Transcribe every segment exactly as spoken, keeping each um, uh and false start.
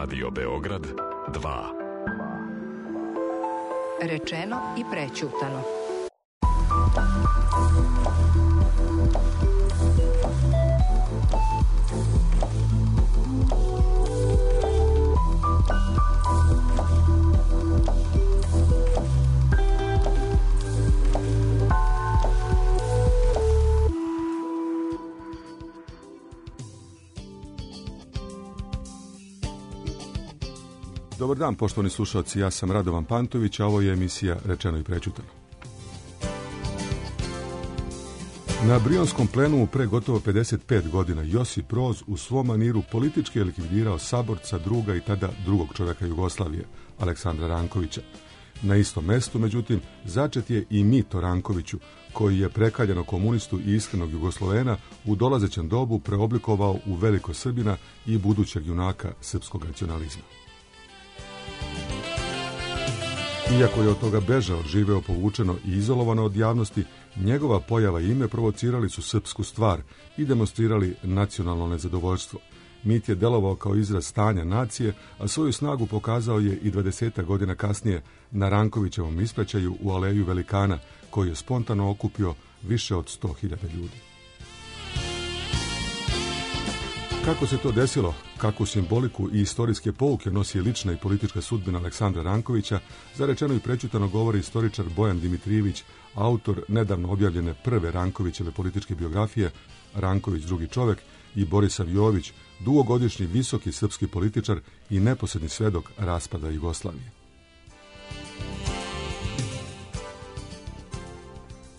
Radio Beograd dva. Rečeno i prećutano. Dobar dan, poštovani slušalci, ja sam Radovan Pantović, a ovo je emisija Rečeno i prećutano. Na Brionskom plenumu pre gotovo pedeset pet godina Josip Broz u svom maniru politički je likvidirao saborca, druga i tada drugog čovjeka Jugoslavije, Aleksandra Rankovića. Na istom mestu, međutim, začet je i mit o Rankoviću, koji je prekaljeno komunistu i iskrenog Jugoslovena u dolazećem dobu preoblikovao u velikosrbina i budućeg junaka srpskog nacionalizma. Iako je od toga bežao, živeo povučeno i izolovano od javnosti, njegova pojava i ime provocirali su srpsku stvar i demonstrirali nacionalno nezadovoljstvo. Mit je delovao kao izraz stanja nacije, a svoju snagu pokazao je i dvadeset godina kasnije na Rankovićevom ispraćaju u Aleju Velikana, koji je spontano okupio više od sto hiljada ljudi. Kako se to desilo, kakvu simboliku i istorijske pouke nosi lična i politička sudbina Aleksandra Rankovića, za Rečeno i prećutano govori istoričar Bojan Dimitrijević, autor nedavno objavljene prve Rankovićeve političke biografije Ranković drugi čovjek, i Borisav Jović, dugogodišnji visoki srpski političar i neposredni svedok raspada Jugoslavije.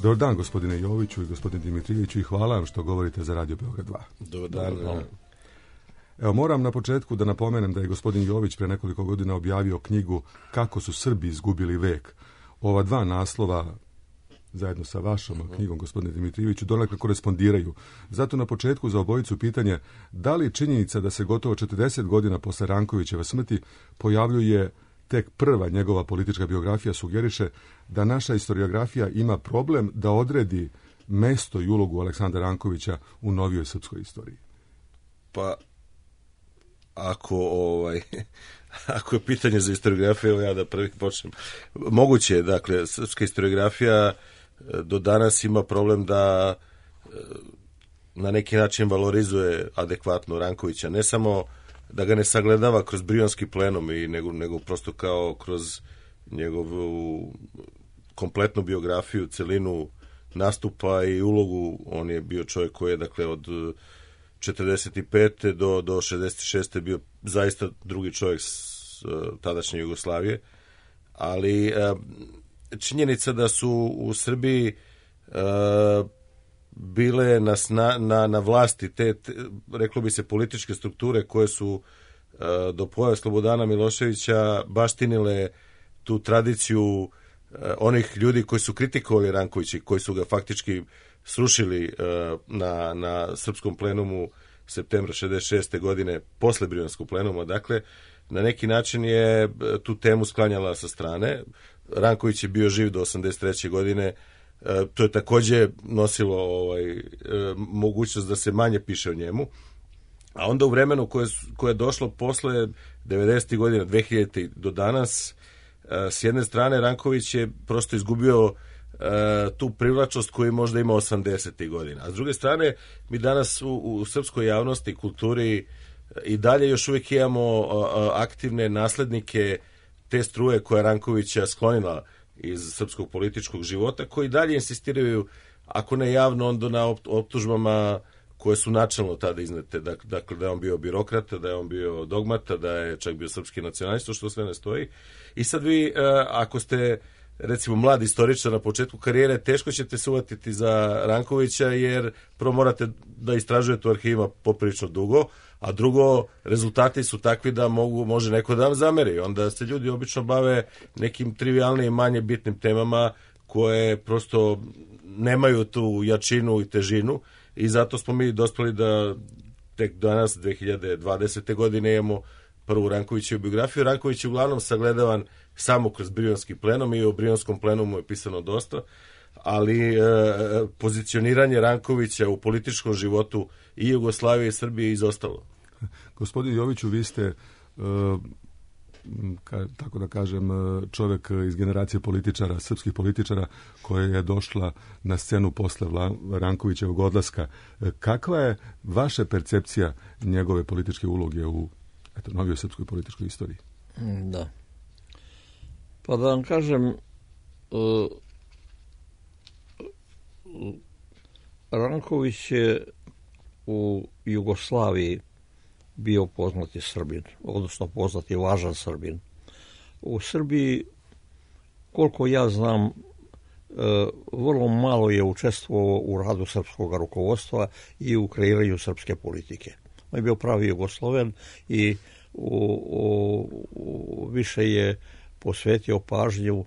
Dobar dan, gospodine Joviću i gospodine Dimitrijeviću, i hvala vam što govorite za Radio Beograd dva. Dobar dan. Dobar dan. Evo, moram na početku da napomenem da je gospodin Jović pre nekoliko godina objavio knjigu Kako su Srbi izgubili vek. Ova dva naslova, zajedno sa vašom uh-huh. knjigom, gospodine Dimitrijeviću, donekle korespondiraju. Zato na početku za obojicu pitanje, da li činjenica da se gotovo četrdeset godina posle Rankovićeve smrti pojavljuje tek prva njegova politička biografija sugeriše da naša historiografija ima problem da odredi mesto i ulogu Aleksandra Rankovića u novijoj srpskoj istoriji? Pa, ako ovaj ako je pitanje za historiografiju, evo ja da prvi počnem. Moguće je, dakle, srpska historiografija do danas ima problem da na neki način valorizuje adekvatno Rankovića, ne samo da ga ne sagledava kroz Brionski plenum, i nego, nego prosto kao kroz njegovu kompletnu biografiju, celinu nastupa i ulogu. On je bio čovjek koji je, dakle, od četrdeset pete do, do šezdeset šeste bio zaista drugi čovjek s uh, tadašnje Jugoslavije, ali uh, činjenica da su u Srbiji uh, bile na, sna, na, na vlasti te, te, reklo bi se, političke strukture koje su uh, do pojave Slobodana Miloševića baštinile tu tradiciju uh, onih ljudi koji su kritikovali Rankovića i koji su ga faktički srušili uh, na, na srpskom plenumu septembra šezdeset šeste godine posle Brionskog plenuma. Dakle, na neki način je tu temu sklanjala sa strane. Ranković je bio živ do osamdeset treće godine. Uh, to je takođe nosilo ovaj, uh, mogućnost da se manje piše o njemu. A onda u vremenu koje, koje je došlo posle devedesetih godina, dve hiljadite do danas, uh, s jedne strane Ranković je prosto izgubio Uh, tu privlačnost koju možda ima osamdesetih godina. A s druge strane, mi danas u, u srpskoj javnosti i kulturi i dalje još uvijek imamo uh, aktivne naslednike te struje koja Rankovića sklonila iz srpskog političkog života, koji dalje insistiraju, ako ne javno, onda na optužbama koje su načelno tada iznete. Dakle, da je on bio birokrata, da je on bio dogmata, da je čak bio srpski nacionalista, što sve ne stoji. I sad vi, uh, ako ste recimo mladi istoričar na početku karijere, teško ćete se uvatiti za Rankovića, jer prvo morate da istražujete u arhivima poprilično dugo, a drugo, rezultati su takvi da mogu, može neko da vam zameri. Onda se ljudi obično bave nekim trivijalnim, manje bitnim temama koje prosto nemaju tu jačinu i težinu, i zato smo mi dospeli da tek danas, dve hiljade dvadesete godine, imamo prvu Rankovićevu biografiju. Ranković je uglavnom sagledavan samo kroz Brionski plenum, i o Brionskom plenumu je pisano dosta, ali e, pozicioniranje Rankovića u političkom životu i Jugoslavije i Srbije je izostalo. Gospodin Joviću, vi ste ka, tako da kažem, čovjek iz generacije političara, srpskih političara, koja je došla na scenu posle Rankovićevog odlaska. Kakva je vaša percepcija njegove političke uloge u eto, novijoj srpskoj političkoj istoriji? Da. Pa da vam kažem, uh, Ranković je u Jugoslaviji bio poznati Srbin, odnosno poznati važan Srbin. U Srbiji, koliko ja znam, vrlo malo je učestvovao u radu srpskog rukovodstva i u kreiranju srpske politike. On je bio pravi Jugosloven i u, u, u, više je posvetio pažnju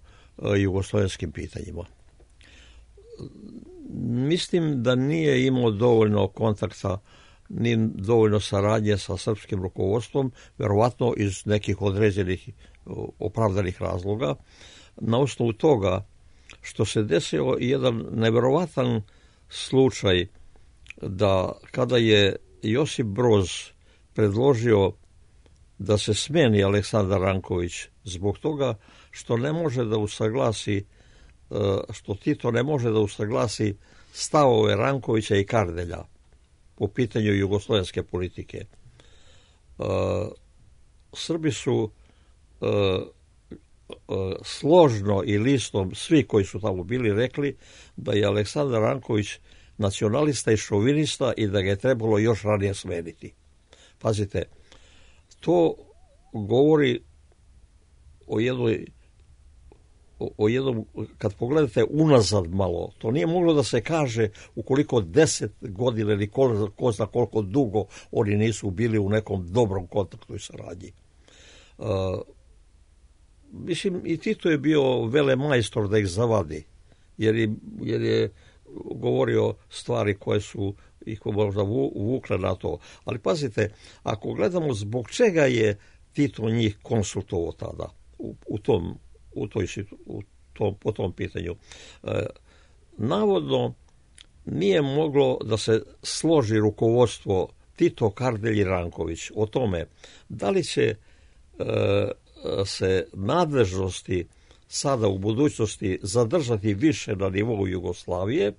jugoslovenskim pitanjima. Mislim da nije imao dovoljno kontakta ni dovoljno saradnje sa srpskim rukovodstvom, verovatno iz nekih određenih opravdanih razloga. Na osnovu toga što se desio jedan neverovatan slučaj da kada je Josip Broz predložio da se smeni Aleksandar Ranković zbog toga što ne može da usaglasi, što Tito ne može da usaglasi stavove Rankovića i Kardelja po pitanju jugoslovenske politike. Uh, Srbi su uh, uh, složno i listom, svi koji su tamo bili, rekli da je Aleksandar Ranković nacionalista i šovinista i da ga je trebalo još ranije smeniti. Pazite, to govori o jednoj O, o jednom, kad pogledate unazad malo, to nije moglo da se kaže ukoliko deset godina ili ko, ko zna koliko dugo oni nisu bili u nekom dobrom kontaktu i saradnji. Uh, mislim, i Tito je bio velemajstor da ih zavadi, jer je, jer je govorio stvari koje su ih možda vukle na to. Ali pazite, ako gledamo zbog čega je Tito njih konsultovao tada u, u tom u toj, u tom, po tom pitanju. E, navodno nije moglo da se složi rukovodstvo Tito, Kardelj i Ranković o tome da li će e, se nadležnosti sada u budućnosti zadržati više na nivou Jugoslavije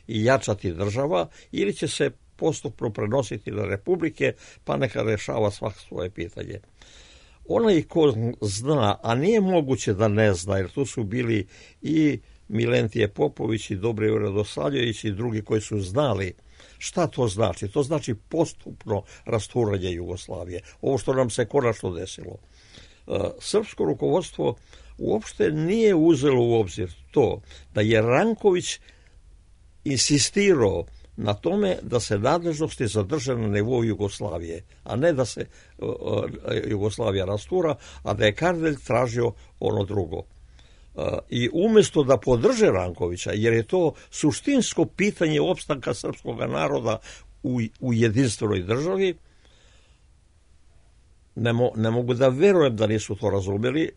i jačati država, ili će se postupno prenositi na republike, pa neka rešava svako svoje pitanje. Onaj ko zna, a nije moguće da ne zna, jer tu su bili i Milentije Popović i Dobrivoje Radosavljević i drugi koji su znali šta to znači. To znači postupno rasturanje Jugoslavije. Ovo što nam se konačno desilo. Srpsko rukovodstvo uopšte nije uzelo u obzir to da je Ranković insistirao na tome da se nadležnosti zadrže na nivou Jugoslavije, a ne da se uh, Jugoslavija rastura, a da je Kardelj tražio ono drugo. Uh, I umjesto da podrže Rankovića, jer je to suštinsko pitanje opstanka srpskog naroda u, u jedinstvenoj državi, ne, mo, ne mogu da verujem da nisu to razumeli.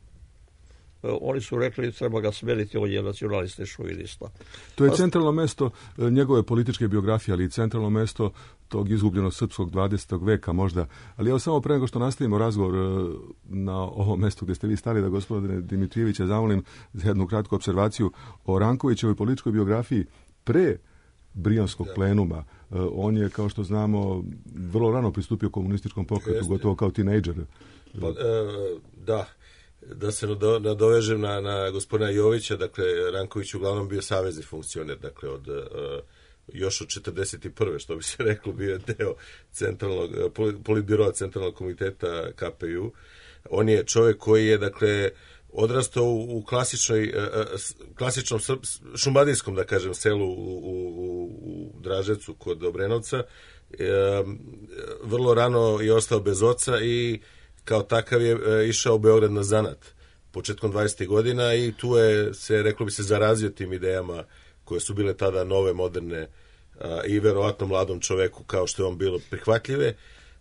Oni su rekli treba ga smeniti, on je nacionalista i šovinista. To je centralno mesto njegove političke biografije, ali i centralno mesto tog izgubljenog srpskog dvadesetog veka možda. Ali evo samo pre nego što nastavimo razgovor na ovom mestu gdje ste vi stali, da gospodine Dimitrijevića zamolim za jednu kratku observaciju o Rankovićevoj političkoj biografiji pre Brijanskog plenuma. On je, kao što znamo, vrlo rano pristupio komunističkom pokretu, Jeste. gotovo kao tinejdžer. Pa, e, da. Da se nadovežem na, na gospodina Jovića, dakle, Ranković uglavnom bio savezni funkcioner, dakle, od, uh, još od četrdeset prve što bi se reklo, bio je deo centralnog, politbiroa centralnog komiteta K P U. On je čovjek koji je, dakle, odrastao u, u klasičnoj, uh, klasičnom šumadijskom, da kažem, selu u, u, u Draževcu kod Obrenovca. Uh, vrlo rano je ostao bez oca i kao takav je e, išao u Beograd na zanat početkom dvadesetih godina i tu je se, reklo bi se, zarazio tim idejama koje su bile tada nove, moderne a, i verovatno mladom čoveku kao što je on bilo prihvatljive.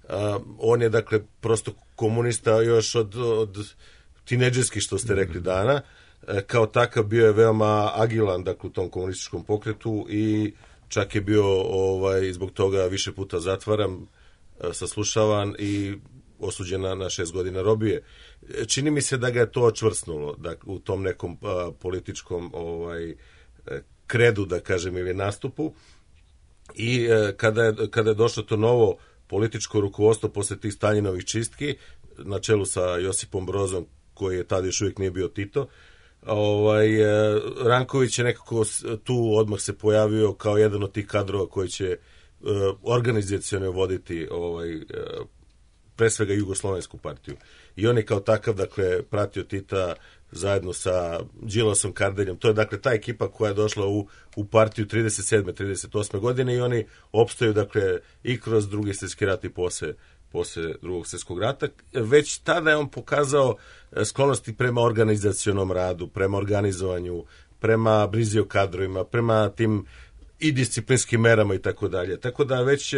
A, on je, dakle, prosto komunista još od, od tinejdžerskih, što ste rekli, dana. E, kao takav bio je veoma agilan, dakle, u tom komunističkom pokretu i čak je bio ovaj, zbog toga više puta zatvaran, a, saslušavan i osuđena na šest godina robije. Čini mi se da ga je to očvrsnulo, da u tom nekom a, političkom ovaj kredu, da kažem, ili nastupu. I a, kada je, kada je došlo to novo političko rukovodstvo posle tih Staljinovih čistki, na čelu sa Josipom Brozom, koji je tada još uvijek nije bio Tito, ovaj, Ranković je nekako tu odmah se pojavio kao jedan od tih kadrova koji će uh, organizaciono voditi ovaj, uh, pre svega Jugoslovensku partiju. I on je kao takav, dakle, pratio Tita zajedno sa Đilasom, Kardeljem. To je, dakle, ta ekipa koja je došla u, u partiju trideset sedme trideset osme godine i oni opstaju, dakle, i kroz drugi svjetski rat i posle posle drugog svjetskog rata. Već tada je on pokazao sklonosti prema organizacionom radu, prema organizovanju, prema brizi o kadrovima, prema tim i disciplinskim merama i tako dalje. Tako da već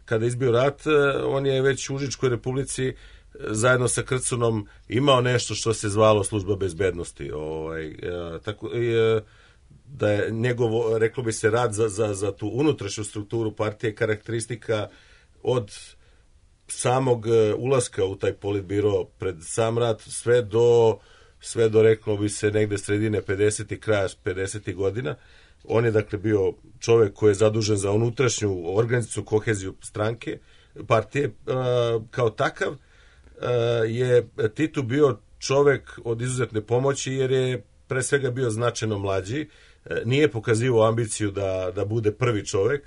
kada je izbio rat, on je već u Užičkoj republici zajedno sa Krcunom imao nešto što se zvalo služba bezbednosti. Ovaj, tako, da je njegovo, reklo bi se, rad za, za, za tu unutrašnju strukturu partije karakteristika od samog ulaska u taj politbiro pred sam rat sve do, sve do reklo bi se negde sredine pedesetih, kraja pedesetih godina. On je dakle bio čovjek koji je zadužen za unutrašnju organizaciju, koheziju stranke, partije. Kao takav je Tito bio čovjek od izuzetne pomoći jer je pre svega bio značajno mlađi, nije pokazivao ambiciju da, da bude prvi čovjek.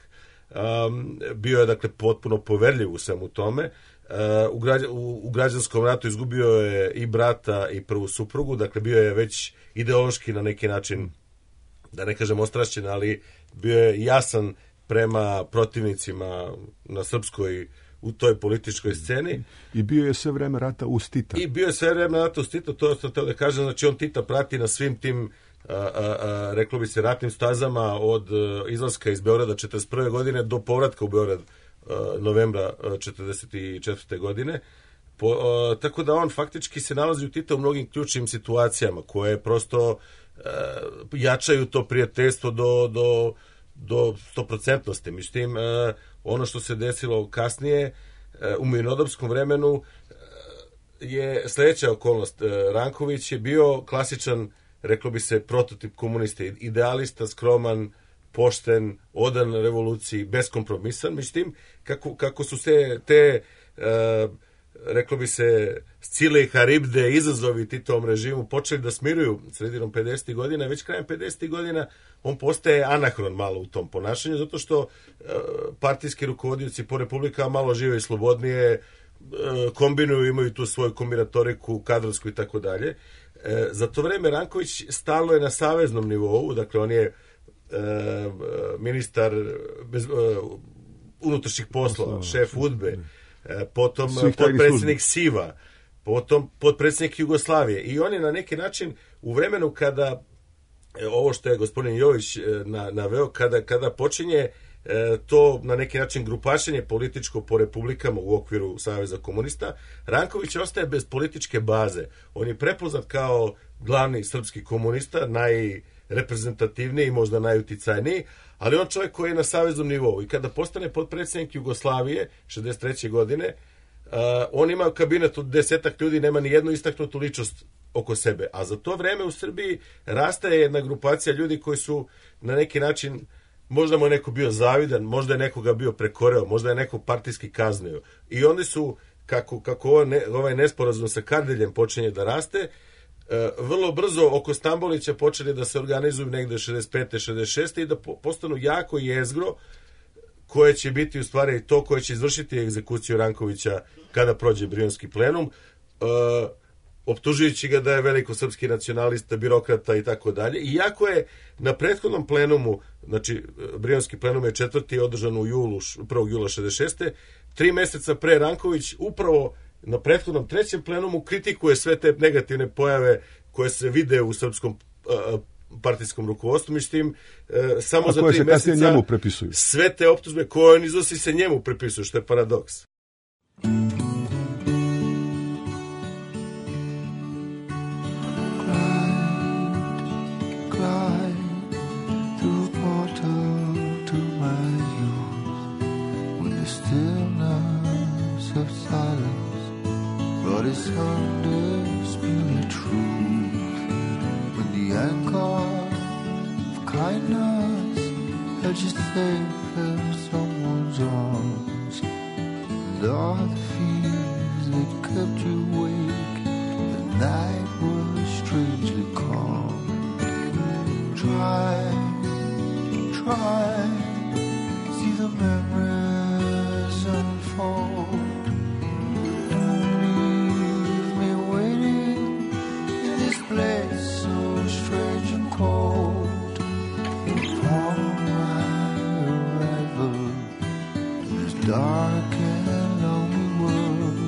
Um, bio je dakle potpuno poverljiv u svemu tome. Uh, u, građ, u, u građanskom ratu izgubio je i brata i prvu suprugu, dakle bio je već ideološki na neki način, da ne kažem ostrašćen, ali bio je jasan prema protivnicima na srpskoj, u toj političkoj sceni. I bio je sve vreme rata uz Tita. I bio je sve vreme rata uz Tita, to što te da kažem, znači on Tita prati na svim tim A, a, a, reklo bi se ratnim stazama od a, izlaska iz Beograda četrdeset prve godine do povratka u Beograd a, novembra a, četrdeset četvrte godine. Po, a, tako da on faktički se nalazi u Tita u mnogim ključnim situacijama koje prosto a, jačaju to prijateljstvo do, do, do stoprocentnosti. Mislim, a, ono što se desilo kasnije a, u mirnodopskom vremenu a, je sledeća okolnost. A, Ranković je bio klasičan, reklo bi se, prototip komuniste, idealista, skroman, pošten, odan revoluciji, beskompromisan. Međutim, kako, kako su se te, e, reklo bi se, Scile i Haribde, izazovi Titovom režimu počeli da smiruju sredinom pedesetih godina, već krajem pedesetih godina on postaje anahron malo u tom ponašanju, zato što e, partijski rukovodioci po republikama malo žive i slobodnije, e, kombinuju, imaju tu svoju kombinatoriku, kadrovsku i tako dalje. E, za to vreme Ranković stalno je na saveznom nivou, dakle on je e, ministar bez, e, unutrašnjih poslova, šef udbe, e, potom potpredsjednik SIVA, potom potpredsjednik Jugoslavije i on je na neki način u vremenu kada e, ovo što je gospodin Jović e, na, naveo, kada, kada počinje E, to na neki način grupašenje političko po republikama u okviru Saveza komunista, Ranković ostaje bez političke baze. On je prepoznat kao glavni srpski komunista, najreprezentativniji i možda najuticajniji, ali on čovjek koji je na saveznom nivou i kada postane potpredsjednik Jugoslavije šezdeset treće godine, uh, on ima kabinet od desetak ljudi, nema ni jednu istaknutu ličnost oko sebe, a za to vreme u Srbiji rastaje jedna grupacija ljudi koji su na neki način, možda mu je neko bio zavidan, možda je nekoga bio prekoreo, možda je neko partijski kaznio. I oni su, kako, kako ovo ne, ovaj nesporazum sa Kardeljem počinje da raste, e, vrlo brzo oko Stambolića počeli da se organizuju negde šezdeset pete šezdeset šeste i da po, postanu jako jezgro koje će biti u stvari to koje će izvršiti egzekuciju Rankovića kada prođe Brionski plenum, e, optužujući ga da je velikosrpski nacionalista, birokrata i tako dalje. Iako je na prethodnom plenumu, znači Brionski plenum je četvrti održan u julu, prvog jula šezdeset šeste tri meseca pre Ranković upravo na prethodnom trećem plenumu kritikuje sve te negativne pojave koje se vide u srpskom uh, partijskom rukovodstvu, međutim, uh, samo A za tri meseca njemu prepisuju. Sve te optužbe koje on iznosi se njemu prepisuju, što je paradoks. Stillness of silence Such a safe of someone's arms. And all the fears that kept you awake. The night was strangely calm. Try, try, see the memories unfold. Don't leave me waiting in this place so strange and cold. Upon my arrival in this dark and lonely world,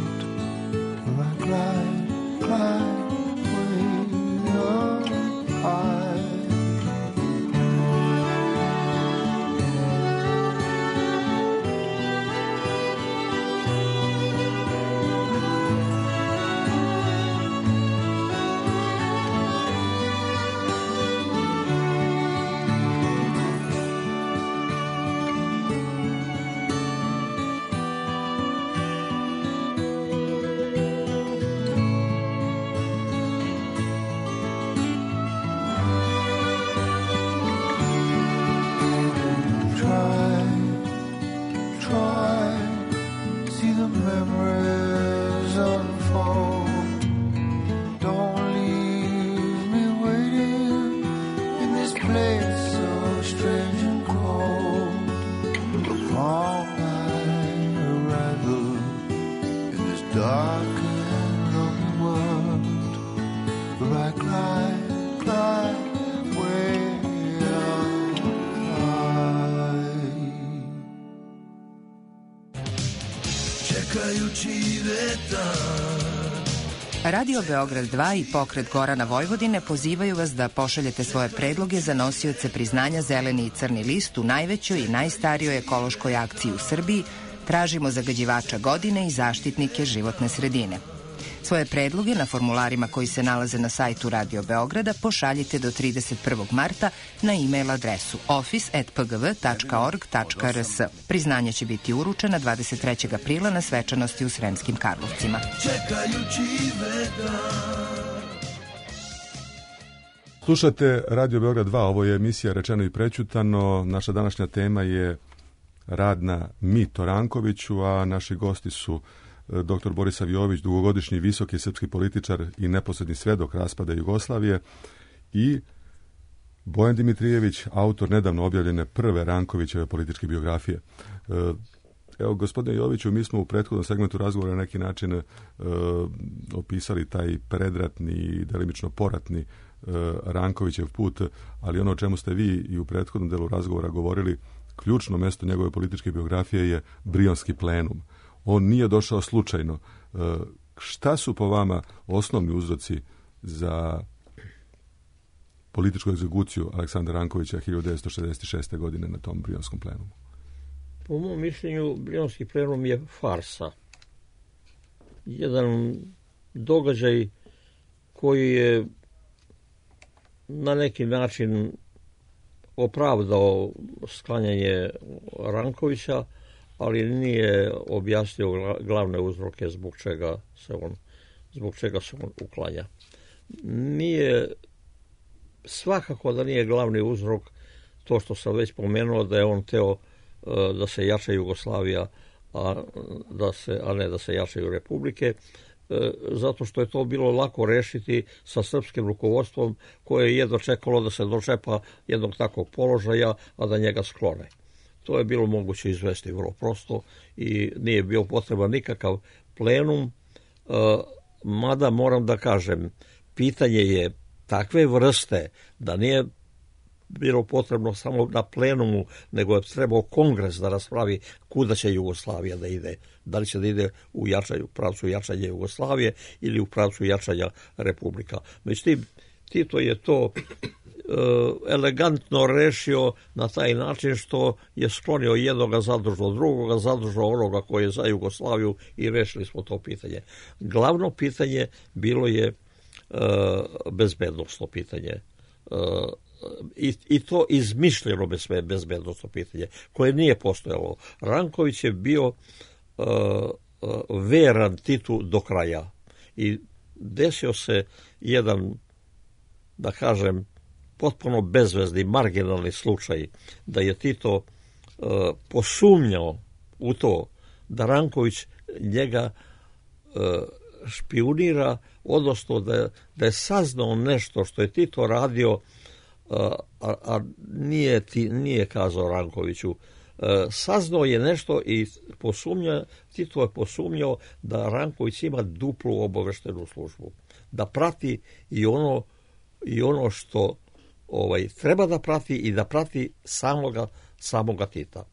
where I glide, glide way up high. Radio Beograd dva i Pokret Gorana Vojvodine pozivaju vas da pošaljete svoje predloge za nosioce priznanja Zeleni i Crni list u najvećoj i najstarijoj ekološkoj akciji u Srbiji Tražimo zagađivača godine i zaštitnike životne sredine. Svoje predloge na formularima koji se nalaze na sajtu Radio Beograda pošaljite do trideset prvog marta na e-mail adresu office at p g v tačka org tačka r s. Priznanje će biti uručena dvadeset trećeg aprila na svečanosti u Sremskim Karlovcima. Slušate Radio Beograd dva, ovo je emisija Rečeno i prećutano. Naša današnja tema je rad na Mito Rankoviću, a naši gosti su doktor Borisav Jović, dugogodišnji visoki srpski političar i neposredni svedok raspada Jugoslavije, i Bojan Dimitrijević, autor nedavno objavljene prve Rankovićeve političke biografije. Evo, gospodine Joviću, mi smo u prethodnom segmentu razgovora na neki način e, opisali taj predratni i delimično poratni e, Rankovićev put, ali ono o čemu ste vi i u prethodnom delu razgovora govorili, ključno mesto njegove političke biografije je Brionski plenum. On nije došao slučajno. E, šta su po vama osnovni uzroci za političku egzekuciju Aleksandra Rankovića hiljadu devetsto šezdeset šeste. godine na tom Brionskom plenumu? Po mom mišljenju, Brionski plenum je farsa. Jedan događaj koji je na neki način opravdao sklanjanje Rankovića, ali nije objasnio glavne uzroke zbog čega se on, zbog čega se on uklanja. Nije, svakako da nije glavni uzrok to što sam već pomenuo, da je on teo da se jača Jugoslavija, a, da se, a ne da se jačaju republike, zato što je to bilo lako rešiti sa srpskim rukovodstvom koje je jedno čekalo da se dočepa jednog takvog položaja, a da njega sklone. To je bilo moguće izvesti vrlo prosto i nije bio potreban nikakav plenum, mada moram da kažem, pitanje je takve vrste da nije bilo potrebno samo na plenumu, nego je trebao kongres da raspravi kuda će Jugoslavija da ide. Da li će da ide u jačanju, pravcu jačanja Jugoslavije ili u pravcu jačanja republika. Međutim, Tito je to e, elegantno rešio na taj način što je sklonio jednoga, zadržao drugoga, zadržao onoga koji je za Jugoslaviju i rešili smo to pitanje. Glavno pitanje bilo je e, bezbednosno pitanje. E, I, i to izmišljeno bezbednosno pitanje, koje nije postojalo. Ranković je bio uh, uh, veran Titu do kraja i desio se jedan, da kažem, potpuno bezvezni, marginalni slučaj da je Tito uh, posumnjao u to da Ranković njega uh, špijunira, odnosno da, da je saznao nešto što je Tito radio, a, a nije, ti, nije kazao Rankoviću. E, saznao je nešto i posumnja, Tito je posumnjao da Ranković ima duplu obaveštenu službu. Da prati i ono, i ono što ovaj, treba da prati i da prati samoga, samoga Tita.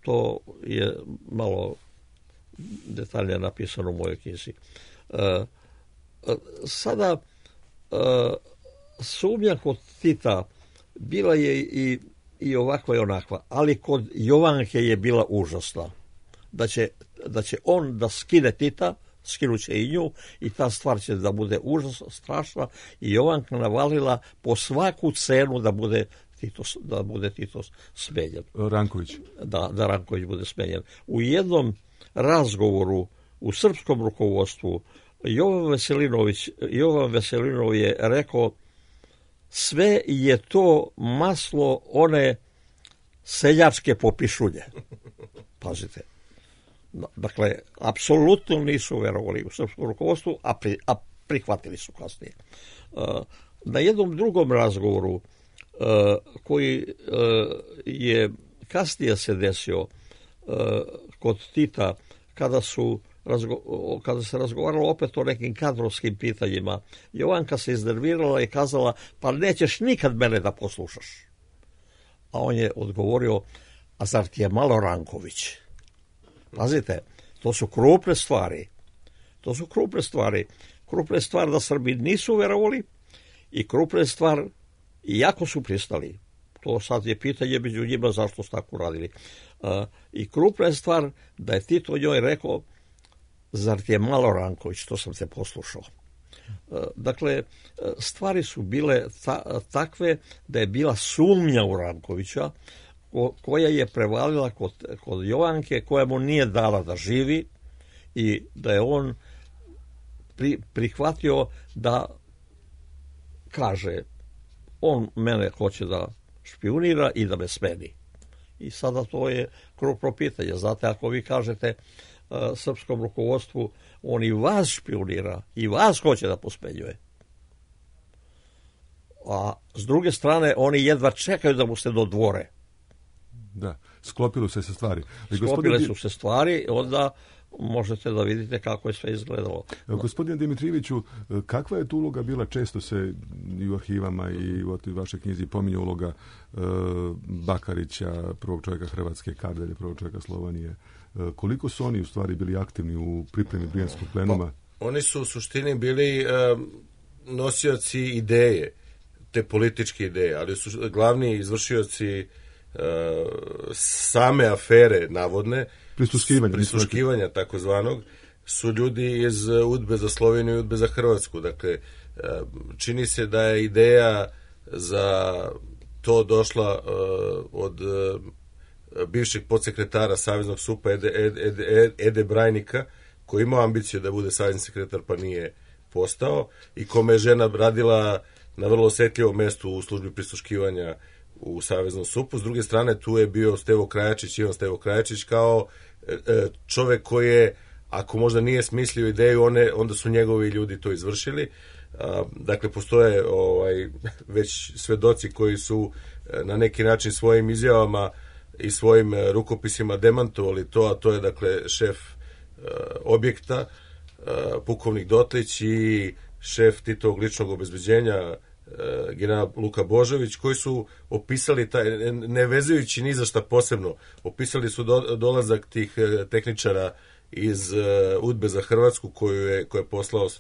To je malo detaljnije napisano u mojoj knjizi. E, sada e, sumnja kod Tita bila je i, i ovakva i onakva, ali kod Jovanke je bila užasna. Da će, da će on da skine Tita, skinuće i nju i ta stvar će da bude užasno strašna i Jovanka navalila po svaku cenu da bude Tito, da bude Tito smenjen. Ranković. Da, da Ranković bude smenjen. U jednom razgovoru u srpskom rukovodstvu Jovan Veselinović, Jovan Veselinov je rekao sve je to maslo one seljačke popišulje. Pazite. Dakle, apsolutno nisu verovali u srpskom rukovodstvu, a, pri, a prihvatili su kasnije. Na jednom drugom razgovoru koji je kasnije se desio kod Tita, kada su kada se razgovaralo opet o nekim kadrovskim pitanjima, Jovanka se iznervirala i kazala, pa nećeš nikad mene da poslušaš. A on je odgovorio, a zar ti je malo Ranković? Pazite, to su krupne stvari. To su krupne stvari. Krupne stvari da Srbi nisu verovali i krupne stvar, iako su pristali. To sad je pitanje među njima zašto su tako radili. Uh, I krupna je stvar da je Tito njoj rekao, zar ti je malo Ranković, to sam te poslušao. Uh, dakle, stvari su bile ta, takve da je bila sumnja u Rankovića, ko, koja je prevalila kod, kod Jovanke, koja mu nije dala da živi i da je on pri, prihvatio da kaže, on mene hoće da špijunira i da me smeni. I sada to je krupno pitanje. Znate, ako vi kažete uh, srpskom rukovodstvu, on i vas špijunira i vas hoće da posmenjuje. A s druge strane, oni jedva čekaju da mu se dodvore. Da, sklopilo se se stvari. Ali Sklopile gospodin... su se stvari, onda možete da vidite kako je sve izgledalo. Gospodine Dimitrijeviću, kakva je tu uloga bila? Često se i u arhivama i u vašoj knjizi pominje uloga e, Bakarića, prvog čovjeka Hrvatske, Kardelje, prvog čovjeka Slovanije. E, koliko su oni u stvari bili aktivni u pripremi Brijanskog plenuma? Pa, oni su u suštini bili e, nosioci ideje, te političke ideje, ali su glavni izvršioci e, same afere navodne, prisluškivanja, prisluškivanja takozvanog, su ljudi iz Udbe za Sloveniju i Udbe za Hrvatsku. Dakle, čini se da je ideja za to došla od bivšeg podsekretara Saveznog supa Ede, Ede, Ede Brajnika, koji imao ambiciju da bude savezni sekretar pa nije postao i kome je žena radila na vrlo osjetljivom mestu u službi prisluškivanja u Saveznom supu. S druge strane, tu je bio Stevo Krajačić, Ivan Stevo Krajačić, kao e, čovek koji je, ako možda nije smislio ideju, one, onda su njegovi ljudi to izvršili. A, dakle, postoje ovaj, već svedoci koji su na neki način svojim izjavama i svojim rukopisima demantovali to, a to je, dakle, šef a, objekta, a, pukovnik Dotlić i šef Titovog ličnog obezbeđenja, general Luka Božović, koji su opisali taj, ne vezujući ni za šta posebno, opisali su do, dolazak tih tehničara iz uh, Udbe za Hrvatsku koju je, koju je poslao uh,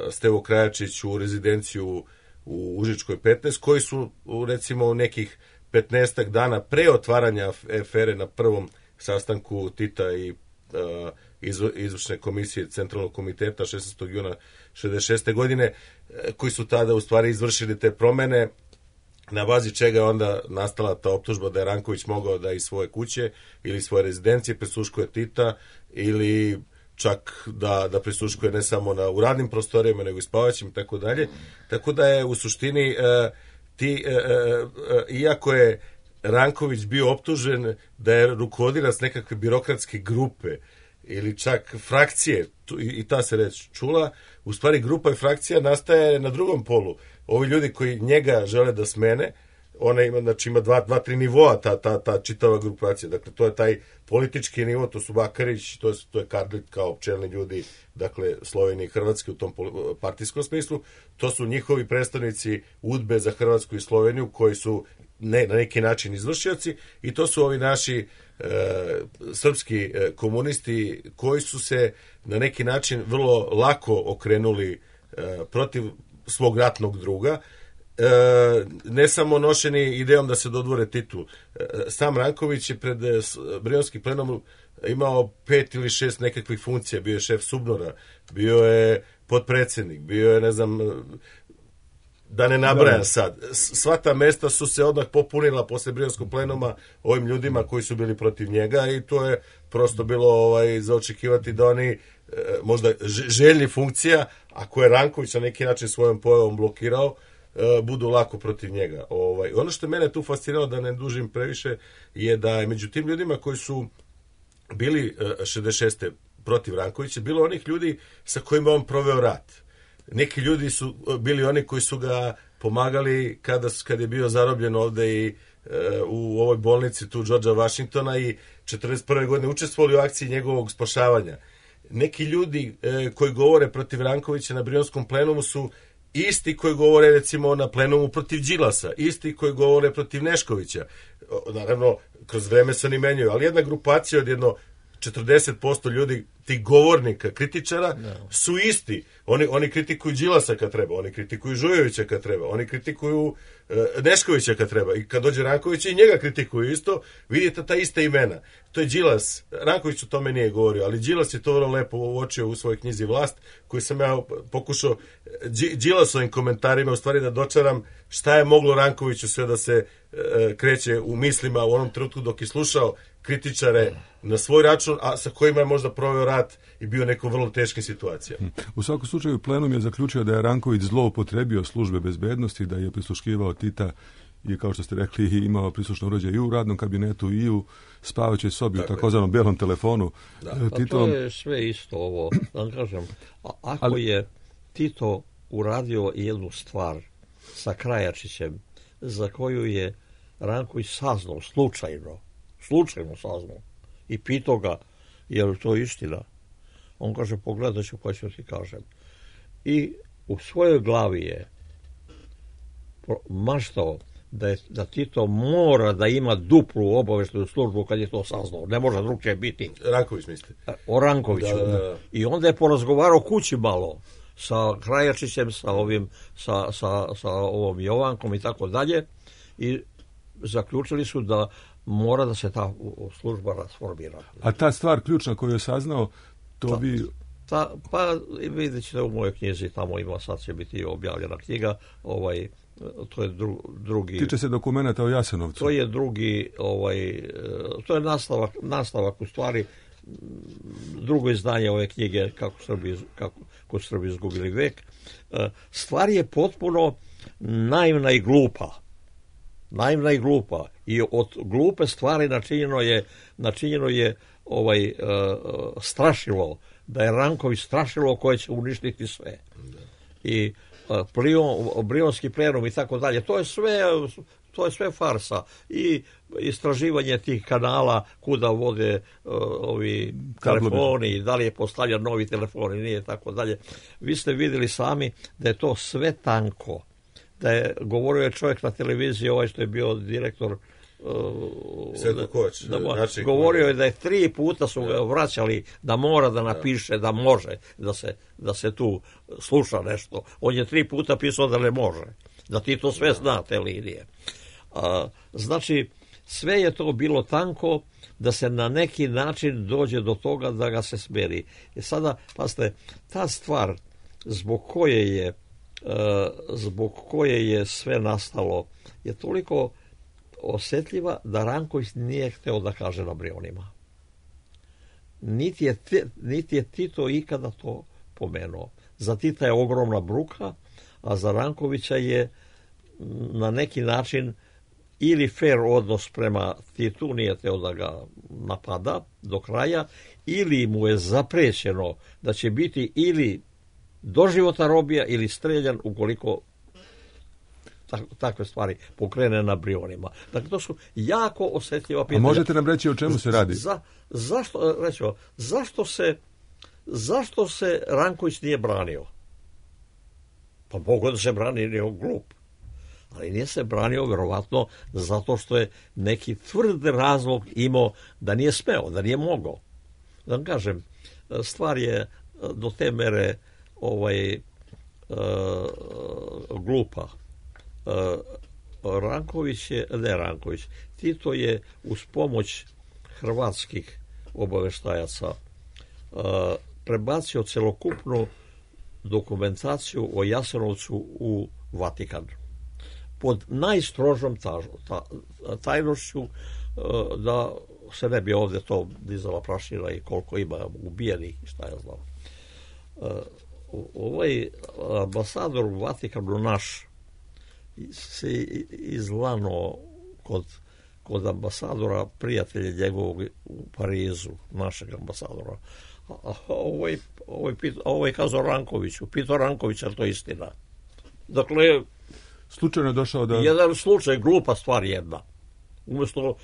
Stevo Krajačić u rezidenciju u Užičkoj petnaest, koji su u, recimo nekih petnaestak dana pre otvaranja afere na prvom sastanku Tita i uh, izvršne komisije Centralnog komiteta šesnaestog juna šezdeset šeste godine, koji su tada u stvari izvršili te promene, na bazi čega je onda nastala ta optužba da je Ranković mogao da iz svoje kuće ili svoje rezidencije prisluškuje Tita ili čak da, da prisluškuje ne samo na, u radnim prostorijama, nego i spavaćim i tako dalje. Tako da je u suštini e, ti, e, e, iako je Ranković bio optužen da je rukovodilac nekakve birokratske grupe ili čak frakcije, tu, i, i ta se reč čula, u stvari grupa i frakcija nastaje na drugom polu. Ovi ljudi koji njega žele da smene, ona ima, znači ima dva, dva, tri nivoa ta, ta, ta čitava grupacija. Dakle, to je taj politički nivo, to su Bakarić, to je, to je Kardlit kao čelni ljudi, dakle, Slovenije i Hrvatske u tom partijskom smislu. To su njihovi predstavnici udbe za Hrvatsku i Sloveniju, koji su ne, na neki način izvršioci, i to su ovi naši e, srpski e, komunisti koji su se na neki način vrlo lako okrenuli e, protiv svog ratnog druga, e, ne samo nošeni idejom da se dodvore titul. E, sam Ranković je pred e, Brionski plenom imao pet ili šest nekakvih funkcija, bio je šef Subnora, bio je potpredsjednik, bio je, ne znam, da ne nabrajam sad. Sva ta mesta su se odmah popunila posle Brionskog plenuma ovim ljudima koji su bili protiv njega, i to je prosto bilo ovaj, za očekivati da oni e, možda željni funkcija, a koje je Ranković na neki način svojom pojavom blokirao, e, budu lako protiv njega. Ovaj, ono što mene tu fasciniralo, da ne dužim previše, je da je među tim ljudima koji su bili e, šezdeset šeste protiv Rankovića bilo onih ljudi sa kojima on proveo rat. Neki ljudi su bili oni koji su ga pomagali kada, kada je bio zarobljen ovde i e, u ovoj bolnici tu Georgea Washingtona, i četrdeset prve godine učestvovali u akciji njegovog spašavanja. Neki ljudi e, koji govore protiv Rankovića na Brionskom plenumu su isti koji govore, recimo, na plenumu protiv Đilasa, isti koji govore protiv Neškovića. Naravno, kroz vreme se oni menjaju, ali jedna grupacija od jedno četrdeset posto ljudi, tih govornika, kritičara, no. su isti. Oni, oni kritikuju Đilasa kad treba, oni kritikuju Žujovića kad treba, oni kritikuju e, Neškovića kad treba. I kad dođe Ranković, i njega kritikuju isto, vidite ta ista imena. To je Đilas. Ranković o tome nije govorio, ali Đilas je to vrlo lepo uočio u svojoj knjizi Vlast, koji sam ja pokušao Đilasovim komentarima u stvari da dočaram šta je moglo Rankoviću sve da se e, kreće u mislima u onom trenutku dok je slušao kritičare na svoj račun, a sa kojima je možda proveo rat i bio neko vrlo teške situacije. U svakom slučaju plenum je zaključio da je Ranković zloupotrebio službe bezbednosti, da je prisluškivao Tita i, kao što ste rekli, imao prislušno uređaj i u radnom kabinetu i u spavaćoj sobi, u takozvanom belom telefonu. Da. Tito... A to je sve isto ovo. Da kažem, a ako Ali... je Tito uradio jednu stvar sa Krajačićem, za koju je Ranković saznao slučajno, slučajno saznao i pitao ga, je li to istina? On kaže, pogledat ću pa ću ti kažem. I u svojoj glavi je maštao da, je, da Tito mora da ima duplu obaveštajnu službu kad je to saznao. Ne može drugčije biti. Ranković mislite? O Rankoviću. Da, da, da. I onda je porazgovarao kući malo sa Krajačićem, sa ovim, sa, sa, sa ovom Jovankom i tako dalje. I zaključili su da mora da se ta služba rasformira. A ta stvar ključna koju je saznao, to ta, bi... Ta, pa vidjet ćete u mojoj knjizi, tamo ima, sad će biti objavljena knjiga, ovaj, to je dru, drugi... Tiče se dokumenta o Jasenovcu. To je drugi, ovaj, to je nastavak, nastavak u stvari, drugo izdanje ove knjige, kako Srbi, kako, kako Srbi izgubili vek. Stvar je potpuno naivna i glupa. Naivna i glupa. I od glupe stvari načinjeno je, načinjeno je ovaj, uh, strašilo, da je Ranković strašilo koje će uništiti sve. I uh, plion, Brionski plenum i tako dalje. To je sve, to je sve farsa. I istraživanje tih kanala kuda vode uh, ovi telefoni, da li je postavljan novi telefon i nije tako dalje. Vi ste vidjeli sami da je to sve tanko. Da je govorio je čovjek na televiziji, ovaj što je bio direktor Svetko Kovač, da, znači, govorio je da je tri puta su ga vraćali da mora da napiše da može da se, da se tu sluša nešto. On je tri puta pisao da ne može, da ti to sve zna, te linije. A, znači sve je to bilo tanko da se na neki način dođe do toga da ga se smeri. I sada, pazite, ta stvar zbog koje je zbog koje je sve nastalo je toliko osjetljiva da Ranković nije hteo da kaže na Brionima. Niti je, niti je Tito ikada to pomenuo. Za Tita je ogromna bruka, a za Rankovića je na neki način ili fair odnos prema Titu, nije teo da ga napada do kraja, ili mu je zaprećeno da će biti ili doživotna robija ili streljan ukoliko takve stvari pokrene na Brionima. Dakle, to su jako osjetljiva pitanja. A možete nam reći o čemu se radi? Za, zašto, rećemo, zašto se zašto se Ranković nije branio? Pa mogu da se brani, nije glup. Ali nije se branio verovatno zato što je neki tvrd razlog imao da nije smeo, da nije mogao. Da vam kažem, stvar je do te mere ovaj, uh, glupa. Uh, Ranković je, ne Ranković, Tito je uz pomoć hrvatskih obaveštajaca uh, prebacio celokupnu dokumentaciju o Jasenovcu u Vatikan. Pod najstrožom tajnošću, da se ne bi ovdje to dizala prašina i koliko ima ubijenih i šta ja znam. Ovaj ambasador u Vatikanu naš se izlano kod, kod ambasadora prijatelja njegovog u Parizu, našeg ambasadora. A ovaj, ovaj, ovaj kazao Rankoviću, pitao Rankovića, to je istina. Dakle, slučajno je došao da... Jedan slučaj, glupa stvar jedna. Umjesto,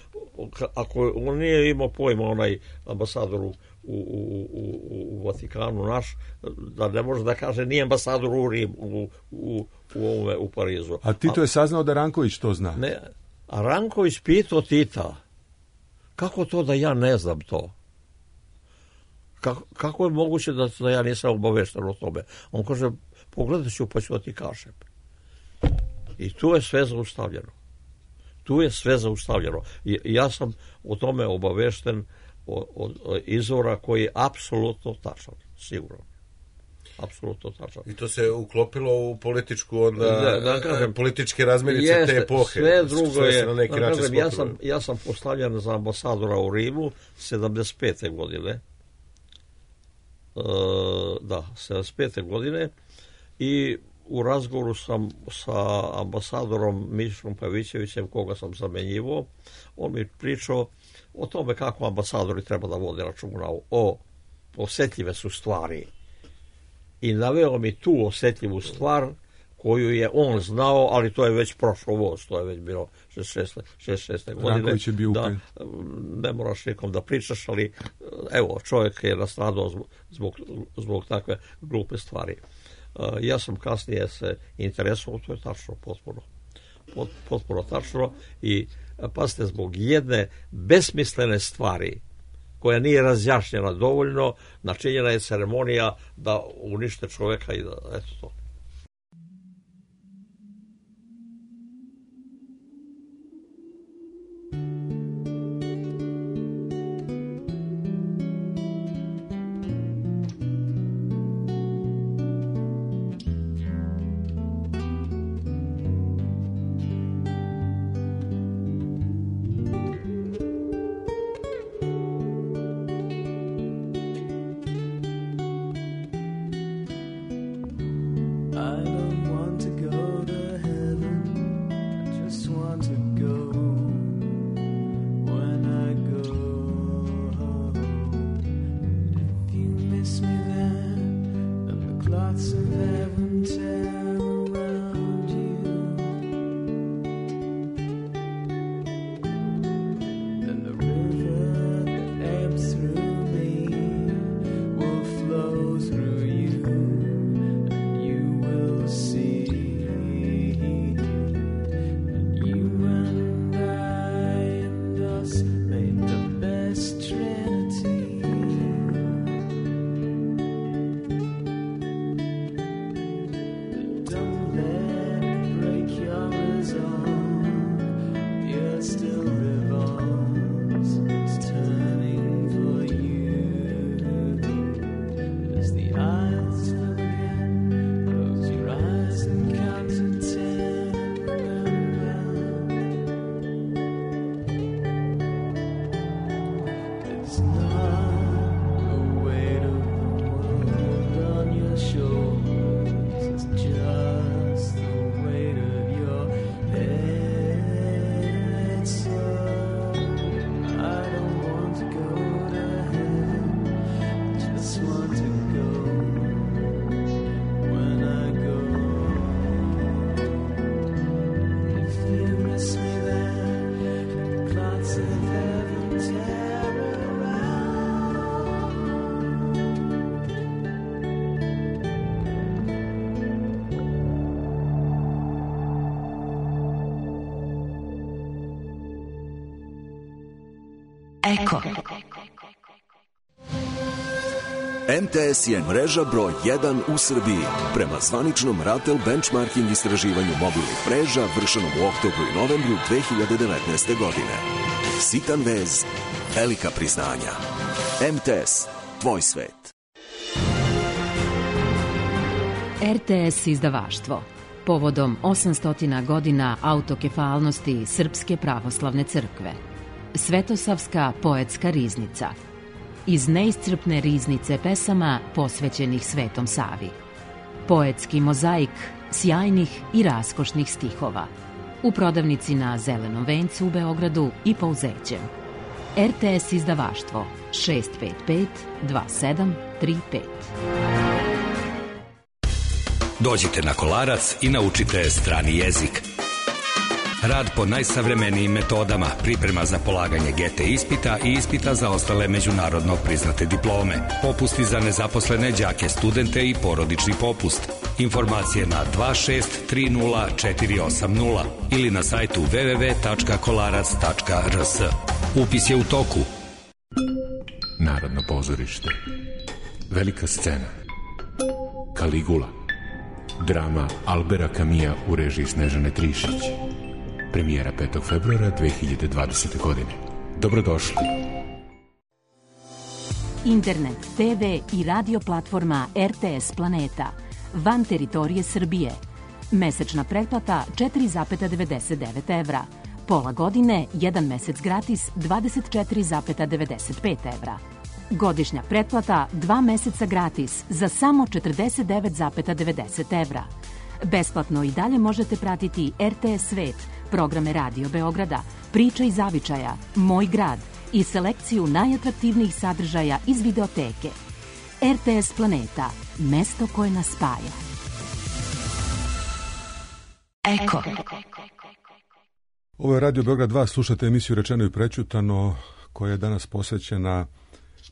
ako on nije imao pojma, onaj ambasador u, u, u, u Vatikanu naš, da ne može da kaže nije ambasador u Rim, u, u, u, ovome, u Parizu. A Tito je saznao da Ranković to zna? Ne, a Ranković pitao Tita, kako to da ja ne znam to? Kako, kako je moguće da, da ja nisam obavešten o tome? On kaže, pogledat ću pa ću da ti kažem. I tu je sve zaustavljeno. Tu je sve zaustavljeno. I ja sam o tome obavešten od, od izvora koji je apsolutno tačan, sigurno. Apsolutno tačan. I to se uklopilo u političku onda, da, da kažem, političke razmirice jeste, te epohe. Sve drugo sve je, na neki da način kažem, ja sam, ja sam postavljen za ambasadora u Rimu sedamdeset pete godine. E, da, sedamdeset pete godine i u razgovoru sam sa ambasadorom Mišom Pavićevićem, koga sam zamenjivao, on mi pričao o tome kako ambasadori treba da vode računa o osjetljive su stvari. I naveo mi tu osjetljivu stvar koju je on znao, ali to je već prošlo voz, to je već bilo šezdeset šeste godine. Ranković je bio da, ne moraš nikom da pričaš, ali evo, čovjek je nastradao zbog, zbog takve glupe stvari. Ja sam kasnije se interesovao, to je tačno, potpuno, potpuno tačno i pazite, zbog jedne besmislene stvari koja nije razjašnjena dovoljno, načinjena je ceremonija da unište čovjeka i da, eto to. Eko. M T S je mreža broj jedan u Srbiji. Prema zvaničnom Ratel benchmarking istraživanju mobilnih mreža vršenom u oktobru i novembru dve hiljade devetnaeste. godine. Sitan vez, velika priznanja. M T S, tvoj svet. R T S izdavaštvo. Povodom osamsto godina autokefalnosti Srpske pravoslavne crkve. Svetosavska poetska riznica. Iz neiscrpne riznice pesama posvećenih Svetom Savi. Poetski mozaik sjajnih i raskošnih stihova. U prodavnici na Zelenom vencu u Beogradu i Pouzećem. R T S izdavaštvo šest pet pet dva sedam tri pet. Dođite na Kolarac i naučite strani jezik. Rad po najsavremenijim metodama, priprema za polaganje G T ispita i ispita za ostale međunarodno priznate diplome, popusti za nezaposlene đake, studente i porodični popust. Informacije na dva šest tri nula četiri osam nula ili na sajtu w w w tačka kolarac tačka r s. Upis je u toku. Narodno pozorište. Velika scena. Kaligula. Drama Albera Kamija u režiji Snežane Trišić. Premijera petog februara dve hiljade dvadesete. godine. Dobrodošli. Internet, te ve i radio platforma R T S Planeta. Van teritorije Srbije. Mesečna pretplata četiri zarez devedeset devet evra. Pola godine, jedan mesec gratis dvadeset četiri zarez devedeset pet evra. Godišnja pretplata dva meseca gratis za samo četrdeset devet zarez devedeset evra. Besplatno i dalje možete pratiti R T S Svet, programe Radio Beograda, Priča iz zavičaja, Moj grad i selekciju najatraktivnijih sadržaja iz videoteke. R T S Planeta, mesto koje nas spaja. Eko. Ovo je Radio Beograd dva, slušate emisiju Rečeno i prećutano, koja je danas posvećena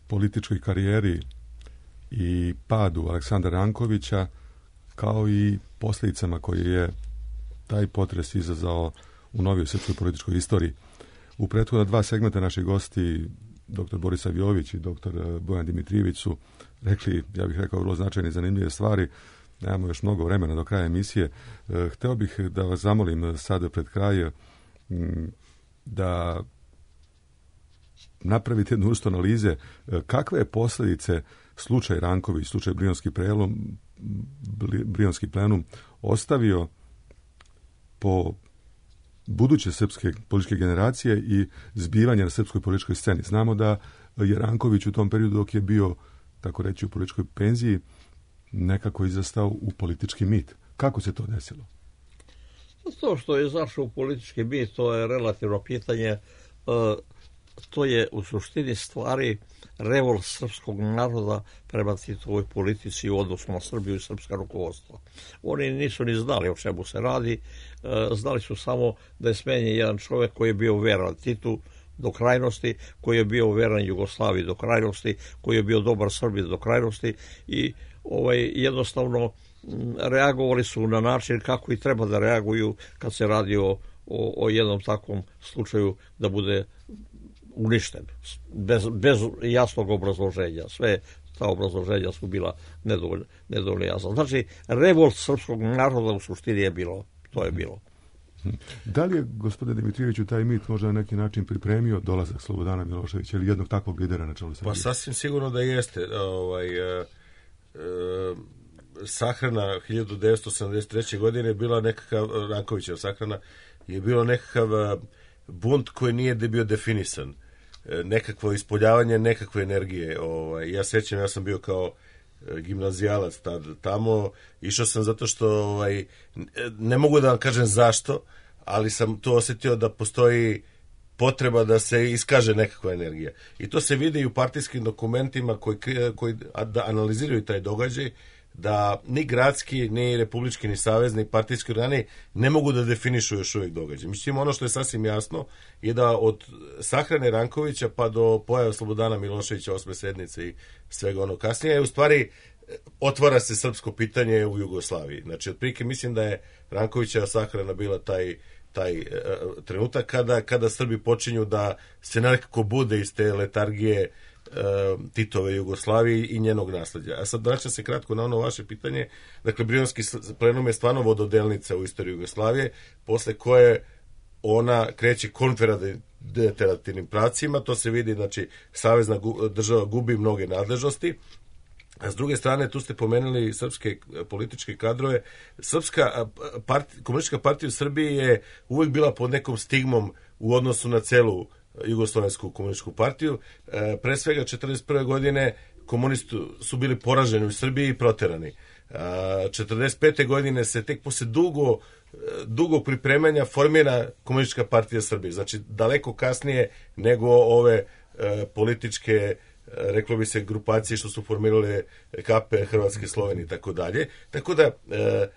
političkoj karijeri i padu Aleksandra Rankovića, kao i posljedicama koje je taj potres izazvao u novijoj srpskoj političkoj istoriji. U prethodna dva segmenta naši gosti, doktor Boris Avjović i doktor Bojan Dimitrijević, su rekli, ja bih rekao, vrlo značajne i zanimljive stvari. Nemamo još mnogo vremena do kraja emisije. Hteo bih da vas zamolim sada pred kraj da napravite jednu vrstu analize kakve je posljedice slučaj Ranković, slučaj Brionski prelom, Brionski plenum ostavio po buduće srpske političke generacije i zbivanje na srpskoj političkoj sceni. Znamo da je Ranković u tom periodu, dok je bio, tako reći, u političkoj penziji, nekako izrastao u politički mit. Kako se to desilo? To što je izašao u politički mit, to je relativno pitanje. To je u suštini stvari revolt srpskog naroda prema Titovoj politici u odnosu na Srbiju i srpska rukovodstva. Oni nisu ni znali o čemu se radi, znali su samo da je smenjen jedan čovjek koji je bio veran Titu do krajnosti, koji je bio veran Jugoslaviji do krajnosti, koji je bio dobar Srbiji do krajnosti i ovaj, jednostavno reagovali su na način kako i treba da reaguju kad se radi o, o, o jednom takvom slučaju da bude uništen, bez, bez jasnog obrazloženja. Sve ta obrazloženja su bila nedovoljno, nedovoljno jasna. Znači, revolt srpskog naroda u suštini je bilo, to je bilo. Da li je, gospodine Dimitrijeviću, taj mit možda na neki način pripremio dolazak Slobodana Miloševića ili jednog takvog lidera na čelu Srbije? Pa sasvim sigurno da jeste. Ovaj, e, e, sahrana hiljadu devetsto sedamdeset treće. godine je bila nekakav, Rankovićeva sahrana, je bilo nekakav bunt koji nije bio definisan. Nekakvo ispoljavanje nekakve energije. Ovaj, ja sećam, ja sam bio kao gimnazijalac tad tamo, išao sam zato što ovaj, ne mogu da vam kažem zašto, ali sam to osjetio da postoji potreba da se iskaže nekakva energija. I to se vidi i u partijskim dokumentima koji, koji da analiziraju taj događaj, da ni gradski, ni republički, ni savezni partijski organi ne mogu da definišu još uvijek događaj. Mislim, ono što je sasvim jasno je da od sahrane Rankovića pa do pojave Slobodana Miloševića, osme sednice i svega ono kasnije, u stvari otvara se srpsko pitanje u Jugoslaviji. Znači, otprilike mislim da je Rankovićeva sahrana bila taj taj uh, trenutak kada, kada Srbi počinju da se nekako bude iz te letargije uh, Titove Jugoslavije i njenog nasleđa. A sad vraćam se kratko na ono vaše pitanje. Dakle, Brionski plenum je stvarno vododelnica u istoriji Jugoslavije, posle koje ona kreće konfederativnim pravcima, to se vidi, znači, savezna država gubi mnoge nadležnosti. A s druge strane, tu ste pomenuli srpske političke kadrove. Srpska partija, komunistička partija u Srbiji je uvek bila pod nekom stigmom u odnosu na celu Jugoslovensku komunističku partiju. E, pre svega četrdeset prve godine komunisti su bili poraženi u Srbiji i proterani. A, četrdeset pete godine se tek posle dugo dugo pripremanja formira komunistička partija Srbije. Znači, daleko kasnije nego ove e, političke, reklo bi se, grupacije što su formirale K P, Hrvatske, Slovenije i tako dalje. Tako da, e,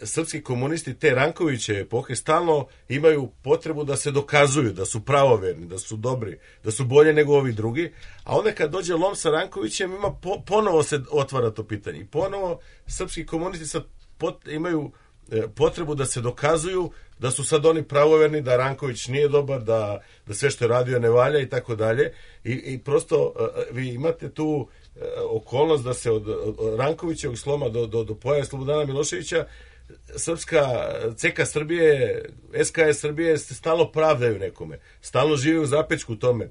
srpski komunisti te Rankoviće epohe stalno imaju potrebu da se dokazuju, da su pravoverni, da su dobri, da su bolje nego ovi drugi, a onda kad dođe lom sa Rankovićem, ima po, ponovo se otvara to pitanje. I ponovo srpski komunisti sad pot, imaju potrebu da se dokazuju da su sad oni pravoverni, da Ranković nije dobar, da, da sve što je radio ne valja i tako dalje. I, i prosto vi imate tu okolnost da se od, od Rankovićevog sloma do, do, do pojave Slobodana Miloševića srpska C K Srbije, S K S Srbije se stalno pravdaju nekome. Stalno žive u zapečku tome.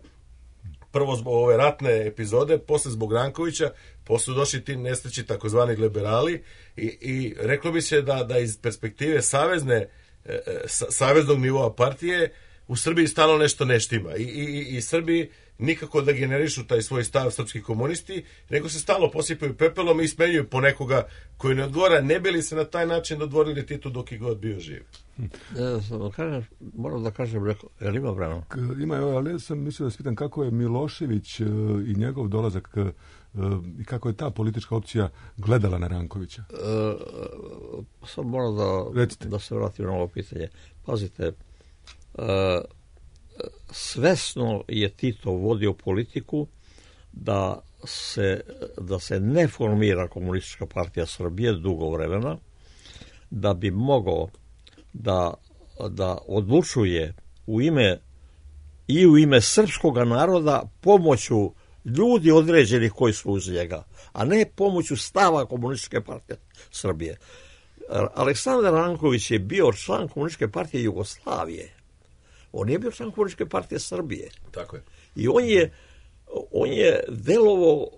Prvo zbog ove ratne epizode, posle zbog Rankovića, posle došli ti nesreći takozvani liberali i, i reklo bi se da, da iz perspektive savezne, e, saveznog nivoa partije u Srbiji stalno nešto ne štima. I, i, i Srbi nikako da generišu taj svoj stav srpski komunisti, nego se stalno posipaju pepelom i smenjuju po nekoga koji ne odgovara, ne bi li se na taj način dodvorili Titu dok je god bio živ. Kažem, moram da kažem, je li ima vremena? Ima, ali ja sam mislio da se pitam kako je Milošević i njegov dolazak i kako je ta politička opcija gledala na Rankovića. E, sad moram da, da se vratim na ovo pitanje. Pazite, e, svesno je Tito vodio politiku da se, da se ne formira komunistička partija Srbije dugo vremena, da bi mogao da, da odlučuje u ime i u ime srpskog naroda pomoću ljudi određenih koji su uz njega, a ne pomoću stava komunističke partije Srbije. Aleksandar Ranković je bio član komunističke partije Jugoslavije. On je bio član komunističke partije Srbije. Tako je. I on je, on je delovao uh,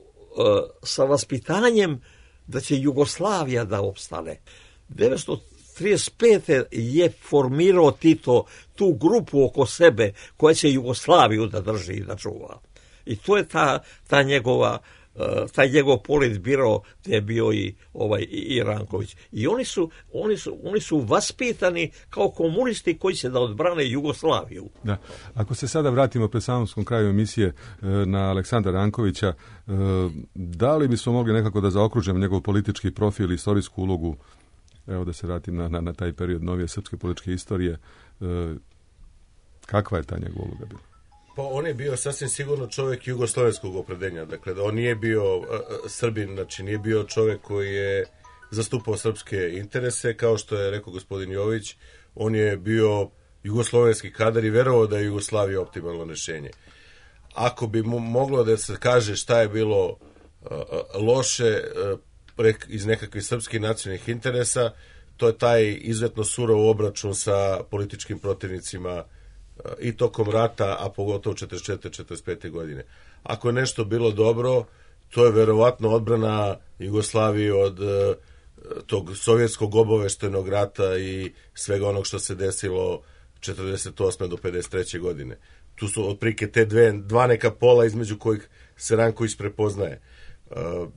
sa vaspitanjem da će Jugoslavija da opstane. devetsto trideset pete je formirao Tito tu grupu oko sebe koja će Jugoslaviju da drži i da čuva. I to je ta, ta njegova, uh, taj njegov politbiro gdje je bio i, ovaj, i, i Ranković. I oni su, oni, su, oni su vaspitani kao komunisti koji će da odbrane Jugoslaviju. Da. Ako se sada vratimo pred samom kraju emisije na Aleksandra Rankovića, da li bismo mogli nekako da zaokružimo njegov politički profil i istorijsku ulogu, evo da se vratim na, na, na taj period novije srpske političke istorije, kakva je ta njegova uloga bila? Pa on je bio sasvim sigurno čovjek jugoslovenskog opredeljenja, dakle da on nije bio uh, Srbin, znači nije bio čovjek koji je zastupao srpske interese, kao što je rekao gospodin Jović, on je bio jugoslovenski kadar i verovao da je Jugoslavija optimalno rješenje. Ako bi mu moglo da se kaže šta je bilo uh, loše uh, iz nekakvih srpskih nacionalnih interesa, to je taj izuzetno surov obračun sa političkim protivnicima i tokom rata, a pogotovo četrdeset četvrte četrdeset pete godine. Ako je nešto bilo dobro, to je verovatno odbrana Jugoslavije od uh, tog sovjetskog obaveštajnog rata i svega onog što se desilo četrdeset osme do pedeset treće godine. Tu su otprilike te dve, dva neka pola između kojih se Ranković prepoznaje. Uh,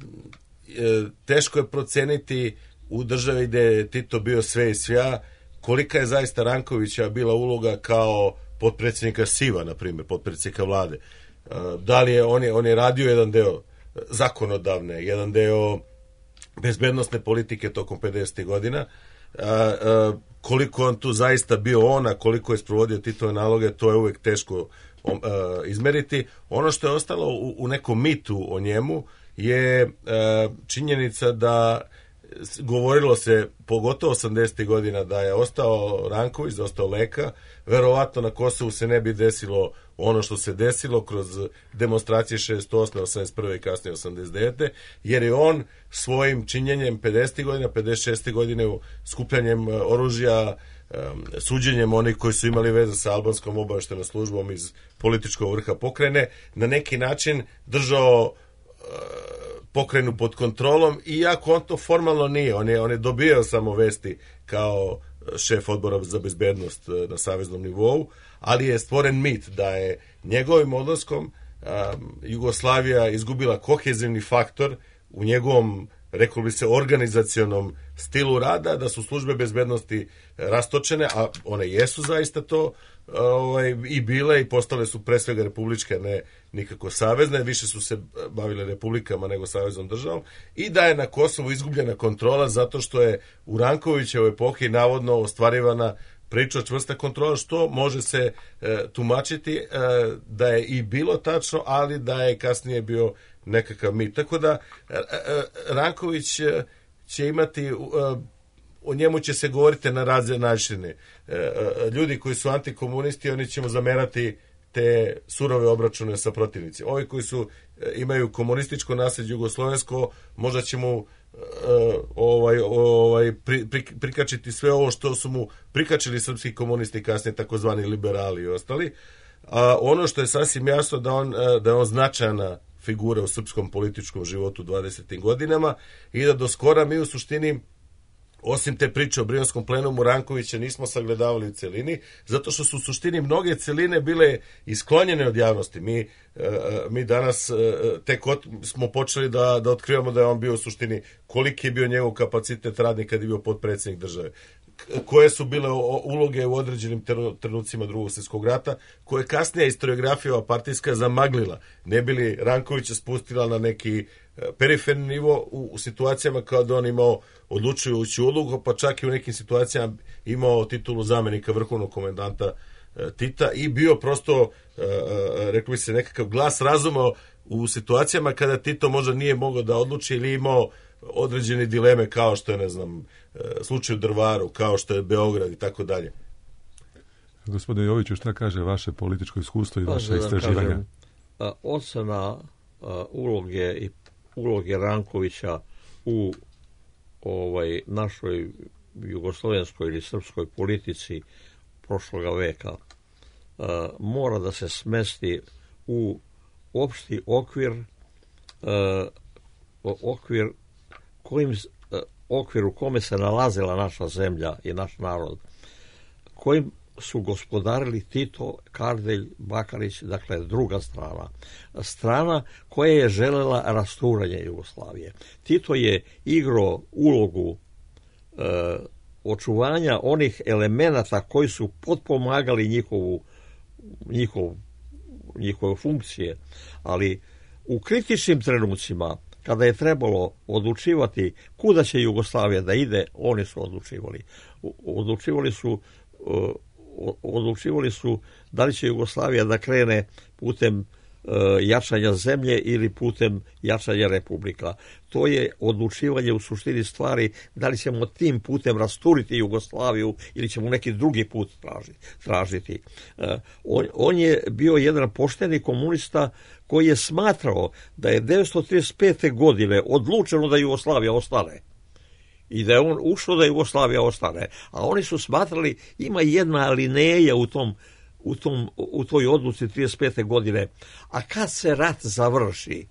teško je proceniti u državi gde je Tito bio sve i svja, kolika je zaista Rankovića bila uloga kao potpredsjednika SIV-a, na primjer, potpredsjednika vlade. Da li je on, je, on je radio jedan deo zakonodavne, jedan deo bezbednostne politike tokom pedesetih godina. Koliko on tu zaista bio on, a koliko je sprovodio Titove naloge, to je uvek teško izmeriti. Ono što je ostalo u, u nekom mitu o njemu je činjenica da govorilo se pogotovo osamdesetih godina da je ostao Ranković, da je ostao Leka, verovatno na Kosovu se ne bi desilo ono što se desilo kroz demonstracije šezdeset osme, osamdeset prve i kasnije osamdeset devete jer je on svojim činjenjem pedesetih godina, pedeset šeste godine skupljanjem oružja, suđenjem onih koji su imali veze sa albanskom obaveštajnom službom iz političkog vrha pokrajine, na neki način držao pokrajinu pod kontrolom, iako on to formalno nije. On je, on je dobijao samo vesti kao šef odbora za bezbednost na saveznom nivou, ali je stvoren mit da je njegovim odlaskom um, Jugoslavija izgubila kohezivni faktor u njegovom, rekao bi se, organizacionom stilu rada, da su službe bezbednosti rastočene, a one jesu zaista to ovaj, i bile i postale su pre svega republičke, ne nikako savezne, više su se bavile republikama nego saveznom državom, i da je na Kosovu izgubljena kontrola zato što je u Rankovićevoj epohi navodno ostvarivana priča čvrsta kontrola, što može se e, tumačiti e, da je i bilo tačno, ali da je kasnije bio nekakav mit. Tako da e, e, Ranković e, će imati, e, o njemu će se govoriti na razne načine. E, e, ljudi koji su antikomunisti, oni će mu zamerati te surove obračune sa protivnicima. Ovi koji su e, imaju komunističko nasljeđe jugoslovensko, možda će mu Uh, ovaj, ovaj, pri, pri, prikačiti sve ovo što su mu prikačili srpski komunisti, kasnije takozvani liberali i ostali. A ono što je sasvim jasno da on, da je on značajna figura u srpskom političkom životu u dvadesetim godinama i da do skora mi u suštini, osim te priče o Brionskom plenumu, Rankovića nismo sagledavali u celini, zato što su u suštini mnoge celine bile isklonjene od javnosti. Mi, mi danas tek od, smo počeli da, da otkrivamo da je on bio u suštini, koliki je bio njegov kapacitet radni kad je bio potpredsjednik države, koje su bile uloge u određenim trenucima Drugog svjetskog rata, koje kasnije historiografija partijska zamaglila, ne bili Rankovića spustila na neki periferni nivo u, u situacijama kada on imao odlučujuću ulogu, pa čak i u nekim situacijama imao titulu zamenika vrhovnog komendanta e, Tita i bio prosto, e, e, rekli bi se, nekakav glas razuma u situacijama kada Tito možda nije mogao da odluči ili imao određene dileme, kao što je, ne znam, e, slučaj u Drvaru, kao što je Beograd i tako dalje. Gospodine Joviću, šta kaže vaše političko iskustvo i pa, vaše istraživanja? Kažem, ocena a, uloge i uloge Rankovića u ovaj našoj jugoslovenskoj ili srpskoj politici prošloga veka uh, mora da se smesti u opšti okvir uh, okvir kojim uh, okvir u kome se nalazila naša zemlja i naš narod, kojim su gospodarili Tito, Kardelj, Bakarić, dakle druga strana. Strana koja je želela rasturanje Jugoslavije. Tito je igrao ulogu e, očuvanja onih elemenata koji su potpomagali njihovu, njihov, njihove funkcije, ali u kritičnim trenucima, kada je trebalo odlučivati kuda će Jugoslavija da ide, oni su odlučivali. Odlučivali su odlučivali su da li će Jugoslavija da krene putem e, jačanja zemlje ili putem jačanja republika. To je odlučivanje u suštini stvari da li ćemo tim putem rasturiti Jugoslaviju ili ćemo neki drugi put tražiti. tražiti. E, on, on je bio jedan pošteni komunista koji je smatrao da je devetsto trideset pete. godine odlučeno da Jugoslavija ostane. I da je on ušao da Jugoslavija ostane. A oni su smatrali, ima jedna alineja u tom, u tom, u toj odluci trideset pete. godine. A kad se rat završi,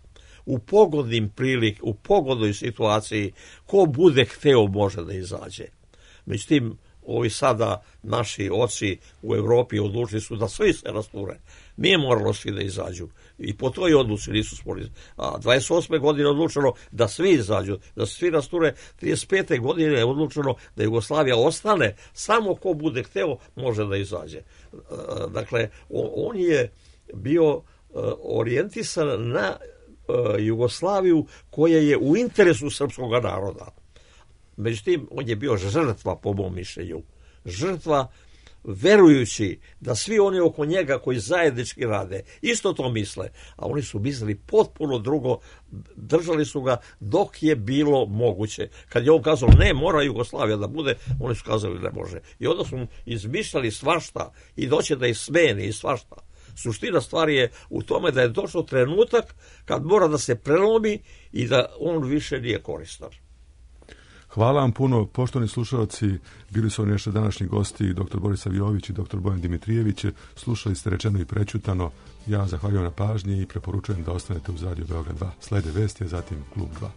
u pogodnim prilik, u pogodnoj situaciji, ko bude hteo može da izađe. Međutim, ovi sada naši oci u Evropi odlučili su da svi se rasture. Nije moralo svi da izađu. I po toj odluci nisu sporili. A dvadeset osme. godine odlučeno da svi izađu, da se svi rasture. trideset pete. godine je odlučeno da Jugoslavija ostane. Samo ko bude hteo može da izađe. Dakle, on je bio orijentisan na Jugoslaviju koja je u interesu srpskog naroda. Međutim, on je bio žrtva, po mom mišljenju. Žrtva verujući da svi oni oko njega koji zajednički rade isto to misle, a oni su mislili potpuno drugo, držali su ga dok je bilo moguće. Kad je on kazao ne, mora Jugoslavija da bude, oni su kazali ne može. I onda su izmišljali svašta i doće da ih smeni i svašta. Suština stvari je u tome da je došao trenutak kad mora da se prelomi i da on više nije koristan. Hvala vam puno, poštovani slušalci, bili su oni naši današnji gosti, doktor Borisav Jović i doktor Bojan Dimitrijević. Slušali ste Rečeno i prećutano. Ja zahvaljujem na pažnji i preporučujem da ostanete uz Radio Beograd dva. Slede vesti, a zatim Klub dva.